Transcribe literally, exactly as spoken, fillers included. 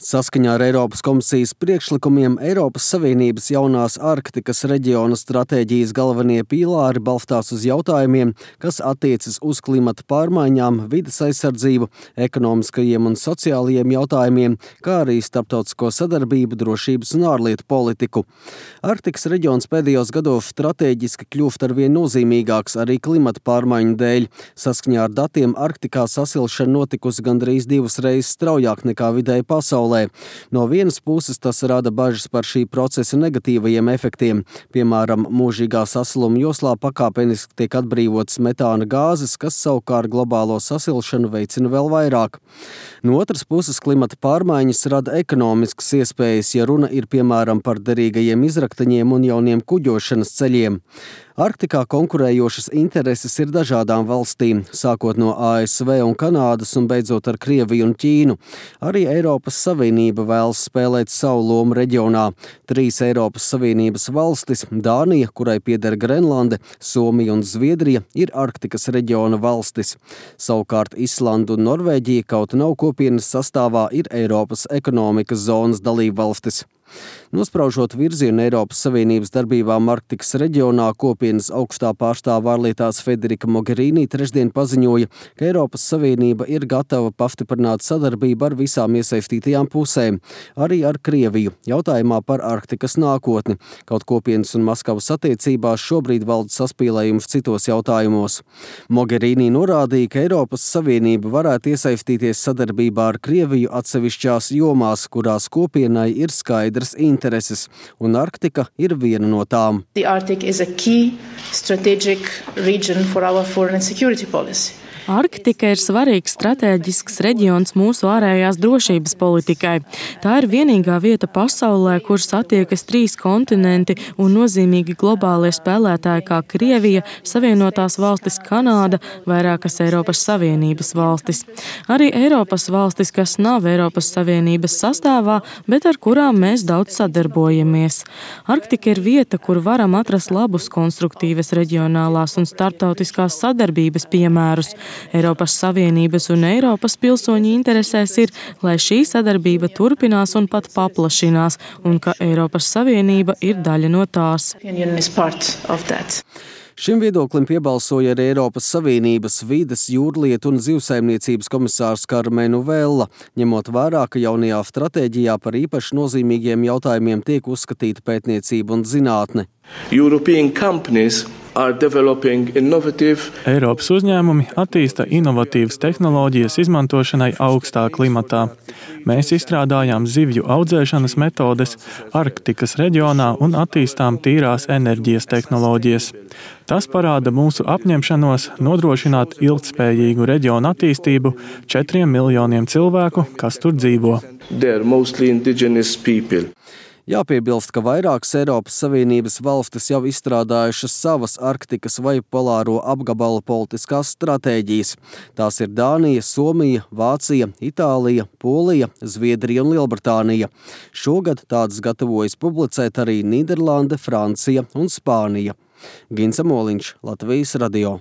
Saskaņā ar Eiropas komisijas priekšlikumiem Eiropas Savienības jaunās Arktikas reģiona stratēģijas galvenie pīlāri balstās uz jautājumiem, kas attiecas uz klimata pārmaiņām, vides aizsardzību, ekonomiskajiem un sociālajiem jautājumiem, kā arī starptautisko sadarbību, drošības un ārlietu politiku. Arktikas reģions pēdējos gados stratēģiski kļūst arvien nozīmīgāks arī klimata pārmaiņu dēļ. Saskaņā ar datiem Arktikā sasilšana notikusi gandrīz divas reizes straujāk nekā vidēji pasaulē. No vienas puses tas rada bažas par šī procesa negatīvajiem efektiem. Piemēram, mūžīgā sasiluma joslā pakāpeniski tiek atbrīvotas metāna gāzes, kas savukārt globālo sasilšanu veicina vēl vairāk. No otras puses klimata pārmaiņas rada ekonomiskas iespējas, ja runa ir piemēram par derīgajiem izraktaņiem un jauniem kuģošanas ceļiem. Arktikā konkurējošas intereses ir dažādām valstīm, sākot no A S V un Kanādas un beidzot ar Krieviju un Ķīnu. Arī Eiropas Savienība vēlas spēlēt savu lomu reģionā. Trīs Eiropas Savienības valstis – Dānija, kurai pieder Grenlande, Somija un Zviedrija – ir Arktikas reģiona valstis. Savukārt Islanda un Norvēģija, kaut nav kopienas sastāvā, ir Eiropas ekonomikas zonas dalībvalstis. Nospraužot virzienu Eiropas Savienības darbībām Arktikas reģionā, kopienas augstā pārstāve ārlietās Federika Mogherini trešdien paziņoja, ka Eiropas Savienība ir gatava pastiprināt sadarbību ar visām iesaistītajām pusēm, arī ar Krieviju, jautājumā par Arktikas nākotni. Kaut kopienas un Maskavas attiecībās šobrīd valda saspīlējums citos jautājumos. Mogherini norādīja, ka Eiropas Savienība varētu iesaistīties sadarbībā ar Krieviju atsevišķās jomās, kurās kopienai ir skaidrs intereses, un Arktika ir viena no tām. The Arctic is a key strategic region for our foreign and security policy. Arktika ir svarīgs stratēģisks reģions mūsu ārējās drošības politikai. Tā ir vienīgā vieta pasaulē, kur satiekas trīs kontinenti un nozīmīgi globālie spēlētāji kā Krievija, Savienotās valstis, Kanāda, vairākas Eiropas Savienības valstis. Arī Eiropas valstis, kas nav Eiropas Savienības sastāvā, bet ar kurām mēs daudz sadarbojamies. Arktika ir vieta, kur varam atrast labus konstruktīvas reģionālās un starptautiskās sadarbības piemērus. Eiropas Savienības un Eiropas pilsoņu interesēs ir, lai šī sadarbība turpinās un pat paplašinās, un ka Eiropas Savienība ir daļa no tās. Šim viedoklim piebalsoja arī Eiropas Savienības vides, jūrlietu un zivsaimniecības komisārs Karmenu Vella, ņemot vērā, ka jaunajā stratēģijā par īpaši nozīmīgiem jautājumiem tiek uzskatīta pētniecība un zinātne. European companies are developing innovative. Eiropas uzņēmumi attīsta inovatīvas tehnoloģijas izmantošanai augstā klimatā. Mēs izstrādājām zivju audzēšanas metodes Arktikas reģionā un attīstām tīrās enerģijas tehnoloģijas. Tas parāda mūsu apņemšanos nodrošināt ilgtspējīgu reģionu attīstību četriem miljoniem cilvēku, kas tur dzīvo. They are mostly indigenous people. Jāpiebilst, ka vairākas Eiropas Savienības valstis jau izstrādājušas savas Arktikas vai polāro apgabala politiskās stratēģijas. Tās ir Dānija, Somija, Vācija, Itālija, Polija, Zviedrija un Lielbritānija. Šogad tādas gatavojas publicēt arī Nīderlande, Francija un Spānija. Gins Amoliņš, Latvijas radio.